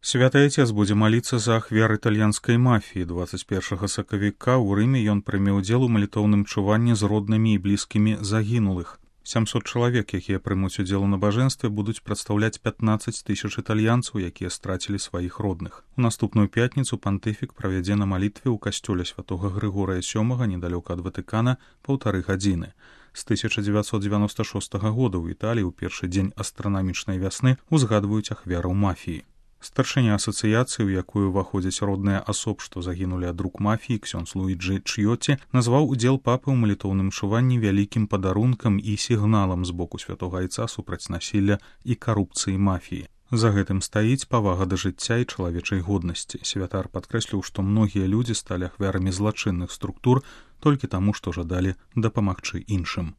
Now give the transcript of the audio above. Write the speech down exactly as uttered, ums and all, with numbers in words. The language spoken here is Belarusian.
Святы Айцец будзе маліцца за ахвяр італьянскай мафіі. дваццаць першага сакавіка ў Рыме ён прыме ўдзел у малітоўным чуванні з роднымі і блізкімі загінулых. сямсот чалавек, якія прымуць удзел у набажэнстве, будуць прадстаўляць пятнаццаць тысяч італьянцаў, якія страцілі сваіх родных. У наступную пятніцу пантыфік правядзе на малітве ў касцёле святога Грыгорыя сёмага недалёка ад Ватыкана паўтары гадзіны. З тысяча дзевяцьсот дзевяноста шостага года ў Італіі ў першы дзень астранамічнай вясны узгадваюць ахвяраў мафіі. Старшыня асацыяцыі, у якую ўваходзяць родныя асоб, што загінулі ад рук мафіі, ксёндз Луіджы Чьёці, назваў удзел папы ў малітоўным чуванні вялікім падарункам і сігналам з боку святога Айца супраць насілля і карупцыі мафіі. За гэтым стаіць павага да жыцця і чалавечай годнасці. Святар падкрэсліў, што многія людзі сталі ахвярамі злачынных структур толькі таму, што жадалі дапамагчы іншым.